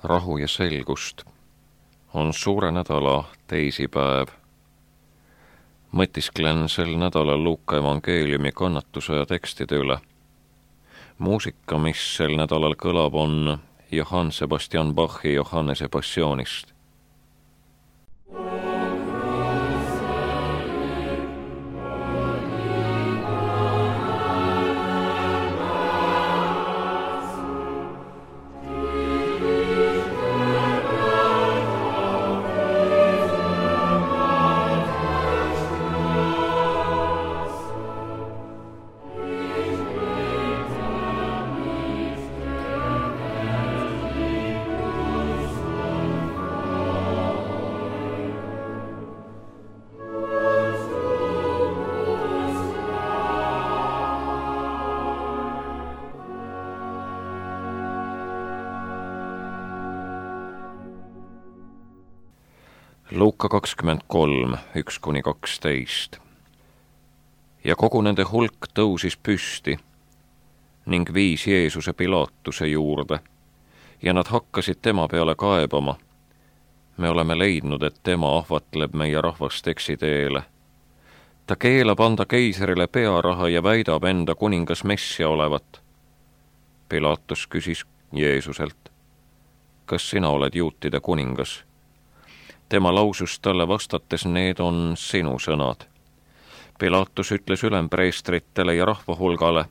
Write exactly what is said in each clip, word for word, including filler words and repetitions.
rahu ja selgust. On suure nädala teisipäev. Mõtisklen sel nädalal Luuka evangeeliumi kannatuse ja tekstide üle. Muusika, mis sel nädalal kõlab, on Johann Sebastian Bachi Johannese passioonist. Luuka kakskümmend kolm, üks kuni kaksteist. Ja kogu nende hulk tõusis püsti ning viis Jeesuse Pilaatuse juurde ja nad hakkasid tema peale kaebama. Me oleme leidnud, et tema ahvatleb meie rahvast eksiteele. Ta keelab anda keiserile pearaha ja väidab enda kuningas Messia olevat. Pilaatus küsis Jeesuselt, kas sina oled juutide kuningas? Tema lausus talle vastates, need on sinu sõnad. Pilaatus ütles ülempreestritele ja rahvahulgale,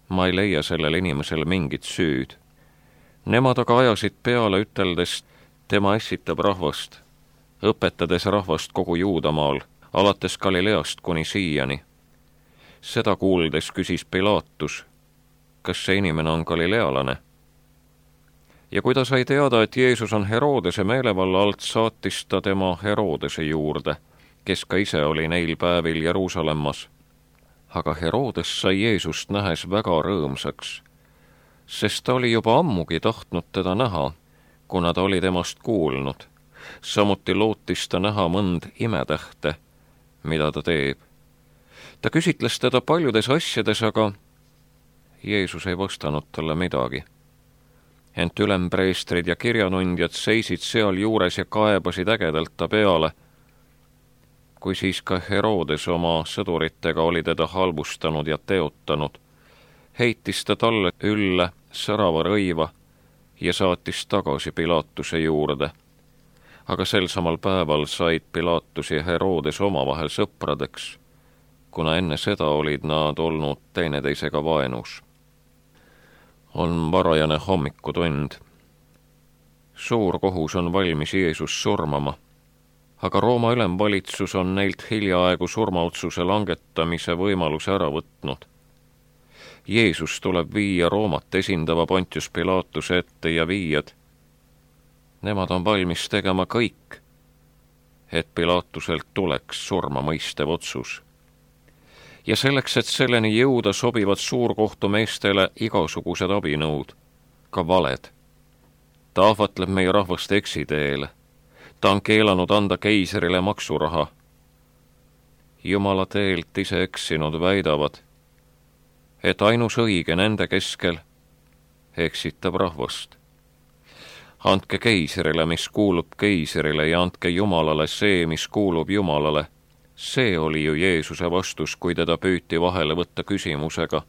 ma ei leia sellel inimesel mingit süüd. Nemad aga ajasid peale üteldes, tema ässitab rahvast, õpetades rahvast kogu Juudamaal, alates Galileast kuni siiani. Seda kuuldes küsis Pilaatus, kas see inimene on galilealane? Ja kui ta sai teada, et Jeesus on Herodese meelevalla alt, saatis ta tema Herodese juurde, kes ka ise oli neil päevil Jeruusalemmas. Aga Herodes sai Jeesust nähes väga rõõmsaks, sest ta oli juba ammugi tahtnud teda näha, kuna ta oli temast kuulnud. Samuti lootis ta näha mõnd imetähte, mida ta teeb. Ta küsitles teda paljudes asjades, aga Jeesus ei vastanud talle midagi. Ent ülempreestrid ja kirjanundjad seisid seal juures ja kaebasid ägedalt ta peale. Kui siis ka Herodes oma sõduritega oli teda halvustanud ja teotanud, heitis ta talle ülle särava rõiva ja saatis tagasi Pilaatuse juurde. Aga sel samal päeval said Pilaatus ja Herodes omavahel sõpradeks, kuna enne seda olid nad olnud teineteisega vaenus. On varajane hommikutund. Suur kohus on valmis Jeesus surmama, aga Rooma ülemvalitsus on neilt hiljaaegu surmaotsuse langetamise võimaluse ära võtnud. Jeesus tuleb viia Roomat esindava Pontius Pilaatuse ette ja viiad. Nemad on valmis tegema kõik, et Pilaatuselt tuleks surma mõistev otsus. Ja selleks, et selleni jõuda, sobivad suurkohtumeestele igasugused abinõud, ka valed. Ta ahvatleb meie rahvast eksiteele. Ta on keelanud anda keiserile maksuraha. Jumala teelt ise eksinud väidavad, et ainus õige nende keskel eksitab rahvast. Andke keiserile, mis kuulub keiserile, ja andke Jumalale see, mis kuulub Jumalale. See oli ju Jeesuse vastus, kui teda püüti vahele võtta küsimusega,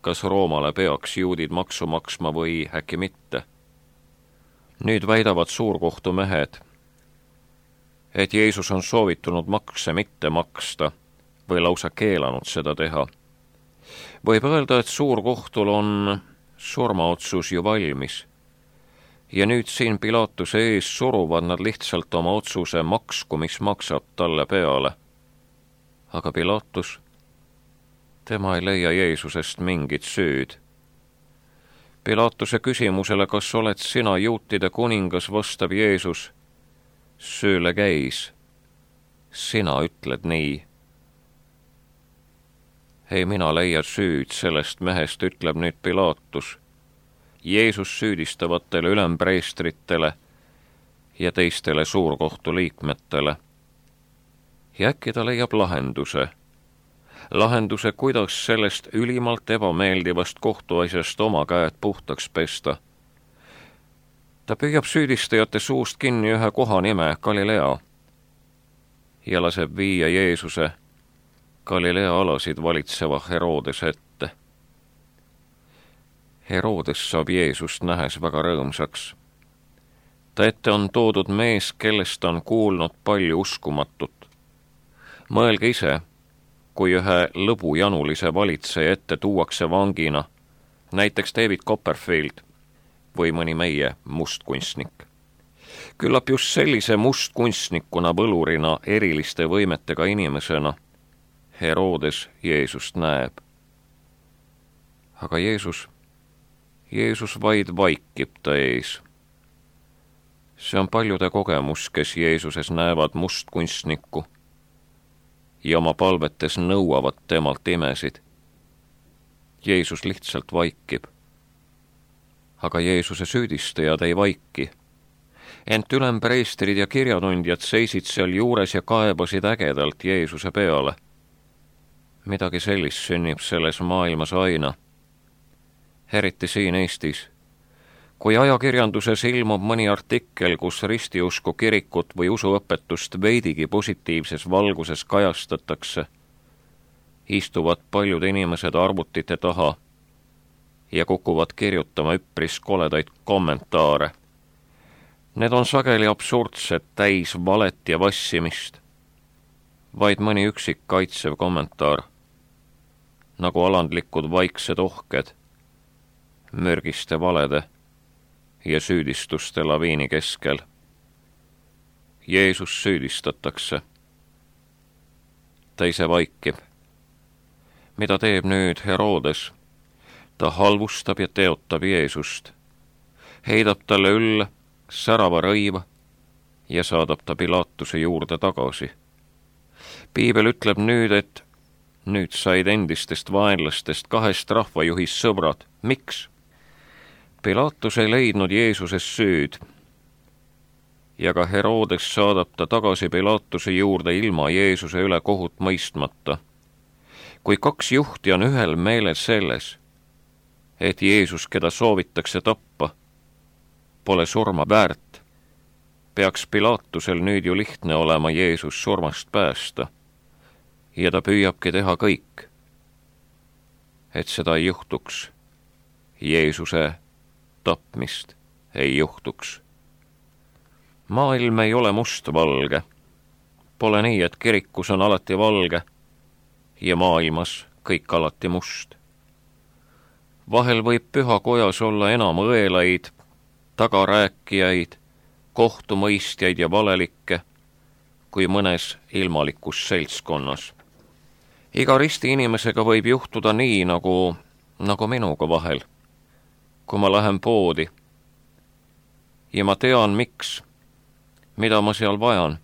kas Roomale peaks juudid maksu maksma või äkki mitte. Nüüd väidavad suurkohtumehed, et Jeesus on soovitunud makse mitte maksta või lausa keelanud seda teha. Võib öelda, et suurkohtul on surmaotsus ju valmis. Ja nüüd siin Pilaatuse ees suruvad nad lihtsalt oma otsuse maksku, mis maksab talle peale. Aga Pilaatus, tema ei leia Jeesusest mingit süüd. Pilaatuse küsimusele, kas oled sina juutide kuningas, vastab Jeesus, sööle käis, sina ütled nii. Ei mina leia süüd sellest mehest, ütleb nüüd Pilaatus, Jeesus süüdistavatele ülempreestritele ja teistele suurkohtu liikmetele. Ja äkki ta leiab lahenduse. Lahenduse, kuidas sellest ülimalt ebameeldivast kohtuasjast oma käed puhtaks pesta. Ta püüab süüdistajate suust kinni ühe koha nime Galilea ja laseb viia Jeesuse Galilea alasid valitseva Herodese ette. Herodes saab Jeesust nähes väga rõõmsaks. Ta ette on toodud mees, kellest on kuulnud palju uskumatut. Mõelge ise, kui ühe lõbujanulise valitseja ette tuuakse vangina, näiteks David Copperfield või mõni meie mustkunstnik. Küllap just sellise mustkunstnikuna, võlurina, eriliste võimetega inimesena Herodes Jeesust näeb. Aga Jeesus, Jeesus vaid vaikib ta ees. See on paljude kogemus, kes Jeesuses näevad mustkunstnikku ja oma palvetes nõuavad temalt imesid. Jeesus lihtsalt vaikib. Aga Jeesuse süüdistajad ei vaiki. Ent ülempreestrid ja kirjatundjad seisid seal juures ja kaebasid ägedalt Jeesuse peale. Midagi sellist sünnib selles maailmas aina. Eriti siin Eestis. Kui ajakirjanduses ilmub mõni artikkel, kus ristiusku kirikut või usuõpetust veidigi positiivses valguses kajastatakse, istuvad paljud inimesed arvutite taha ja kukuvad kirjutama üpris koledaid kommentaare. Need on sageli absurdsed, täis valet ja vassimist. Vaid mõni üksik kaitsev kommentaar, nagu alandlikud vaiksed ohked, mürgiste valede ja süüdistuste laviini keskel. Jeesus süüdistatakse. Ta ise vaikib. Mida teeb nüüd Herodes? Ta halvustab ja teotab Jeesust. Heidab talle ülle särava rõiva ja saadab ta Pilatuse juurde tagasi. Piibel ütleb nüüd, et nüüd said endistest vaenlastest kahest rahvajuhist sõbrad. Miks? Pilatus ei leidnud Jeesuses süüd ja ka Herodes saadab ta tagasi Pilatuse juurde ilma Jeesuse üle kohut mõistmata. Kui kaks juhti on ühel meelel selles, et Jeesus, keda soovitakse tappa, pole surma väärt, peaks Pilatusel nüüd ju lihtne olema Jeesus surmast päästa ja ta püüabki teha kõik, et seda ei juhtuks. Jeesuse tapmist ei juhtuks. Maailm ei ole mustvalge. Pole nii, et kirikus on alati valge ja maailmas kõik alati must. Vahel võib pühakojas olla enam õelaid, tagarääkijaid, kohtumõistjaid ja valelikke kui mõnes ilmalikus seltskonnas. Iga risti inimesega võib juhtuda nii, nagu, nagu minuga vahel. Kui ma lähen poodi ja ma tean, miks, mida ma seal vajan.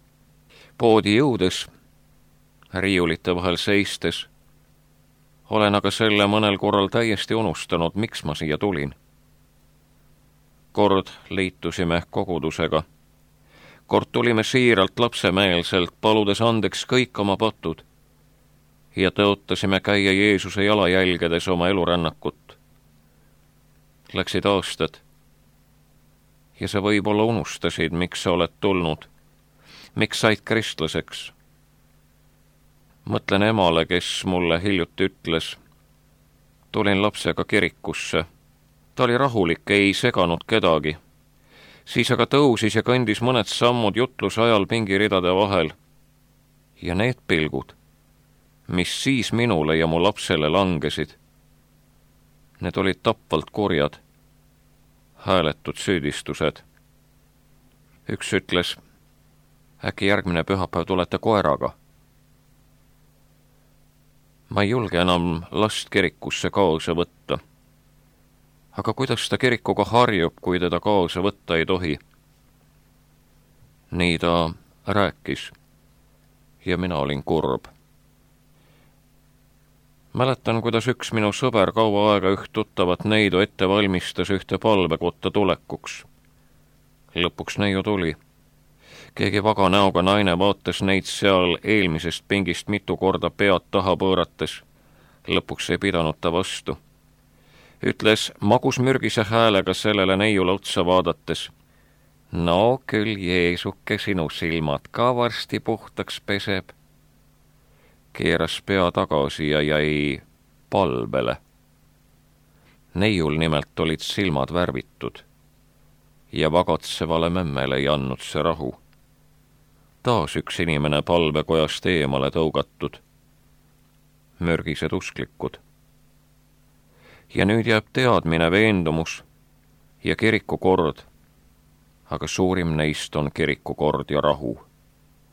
Poodi jõudes, riiulite vahel seistes, olen aga selle mõnel korral täiesti unustanud, miks ma siia tulin. Kord liitusime kogudusega. Kord tulime siiralt lapsemeelselt, paludes andeks kõik oma patud ja tõotasime käia Jeesuse jalajälgedes oma elurännakut. Läksid aastad ja sa võib-olla unustasid, miks sa oled tulnud, miks said kristlaseks. Mõtlen emale, kes mulle hiljuti ütles, tulin lapsega kirikusse. Ta oli rahulik, ei seganud kedagi. Siis aga tõusis ja kõndis mõned sammud jutluse ajal pingiridade vahel. Ja need pilgud, mis siis minule ja mu lapsele langesid, need olid tapvalt kurjad, hääletud süüdistused. Üks ütles, äkki järgmine pühapäev tulete koeraga. Ma ei julge enam last kirikusse kaasa võtta. Aga kuidas ta kirikuga harjub, kui teda kaasa võtta ei tohi? Nii ta rääkis ja mina olin kurb. Mäletan, kuidas üks minu sõber kaua aega üht tuttavat neidu ette valmistas ühte palvekotta tulekuks. Lõpuks neiu tuli. Keegi vaga näoga naine vaatas neid seal eelmisest pingist mitu korda pead taha pöörates. Lõpuks ei pidanud ta vastu. Ütles magusmürgise häälega sellele neiule otsa vaadates, No küll Jeesuke sinu silmad ka varsti puhtaks peseb. Keeras pea tagasi ja jäi palvele. Neiul nimelt olid silmad värvitud ja vagatsevale memmele ei andnud see rahu. Taas üks inimene palvekojast eemale tõugatud. Mürgised usklikud. Ja nüüd jääb teadmine, veendumus ja kirikukord, aga suurim neist on kirikukord ja rahu.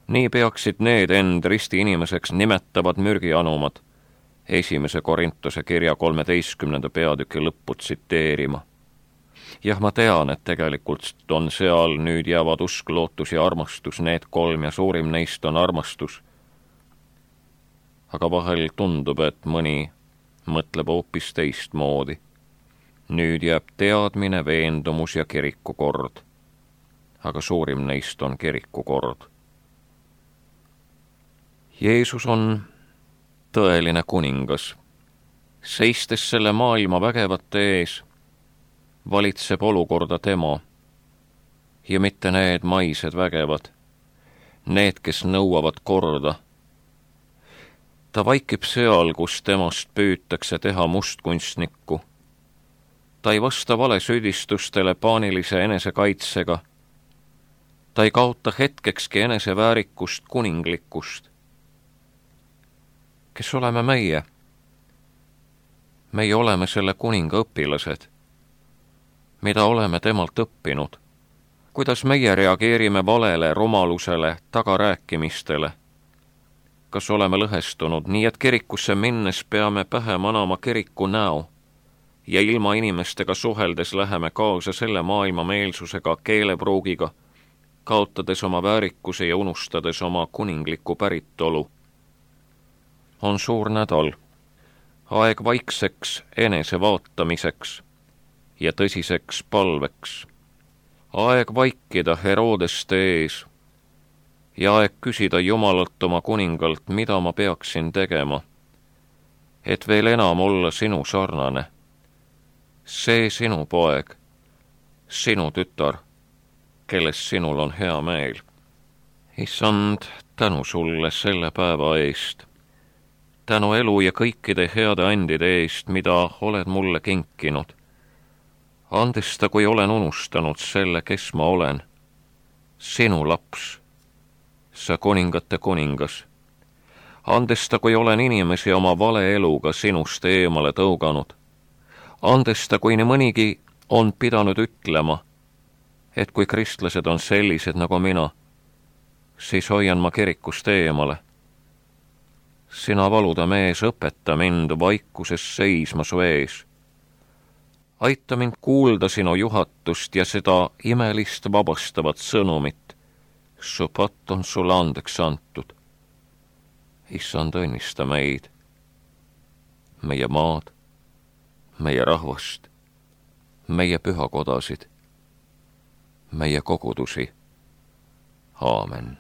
Nii peaksid need end risti inimeseks nimetavad mürgianumad esimese Korintuse kirja kolmeteistkümnenda peatüki lõppu tsiteerima. Jah, ma tean, et tegelikult on seal nüüd jäävad usk, lootus ja armastus, need kolm ja suurim neist on armastus. Aga vahel tundub, et mõni mõtleb hoopis teistmoodi. Nüüd jääb teadmine, veendumus ja kirikukord, aga suurim neist on kirikukord. Jeesus on tõeline kuningas. Seistes selle maailma vägevate ees, valitseb olukorda tema ja mitte need maised vägevad, need, kes nõuavad korda. Ta vaikib seal, kus temast püütakse teha mustkunstnikku. Ta ei vasta vale süüdistustele paanilise enesekaitsega. Ta ei kaota hetkekski eneseväärikust, kuninglikkust. Kes oleme meie? Meie oleme selle kuninga õpilased. Mida oleme temalt õppinud? Kuidas meie reageerime valele, rumalusele, tagarääkimistele? Kas oleme lõhestunud, nii et kirikusse minnes peame pähe manama kiriku näo ja ilma inimestega suheldes läheme kaasa selle maailma meelsusega, keelepruugiga, kaotades oma väärikuse ja unustades oma kuningliku päritolu? On suur nädal, aeg vaikseks enese vaatamiseks ja tõsiseks palveks. Aeg vaikida Herodeste ees ja aeg küsida Jumalalt oma kuningalt, mida ma peaksin tegema, et veel enam olla sinu sarnane. See sinu poeg, sinu tütar, kelles sinul on hea meel. Issand, tänu sulle selle päeva eest. Tänu elu ja kõikide heade andide eest, mida oled mulle kinkinud. Andesta, kui olen unustanud selle, kes ma olen. Sinu laps, sa kuningate kuningas. Andesta, kui olen inimesi oma vale eluga sinust eemale tõuganud. Andesta, kui nii mõnigi on pidanud ütlema, et kui kristlased on sellised nagu mina, siis hoian ma kirikust eemale. Sina valuda mees, õpeta mind vaikuses seisma su ees. Aita mind kuulda sinu juhatust ja seda imelist vabastavat sõnumit. Su patt on sulle andeks antud. Issand, õnnista meid, meie maad, meie rahvast, meie pühakodasid, meie kogudusi. Aamen.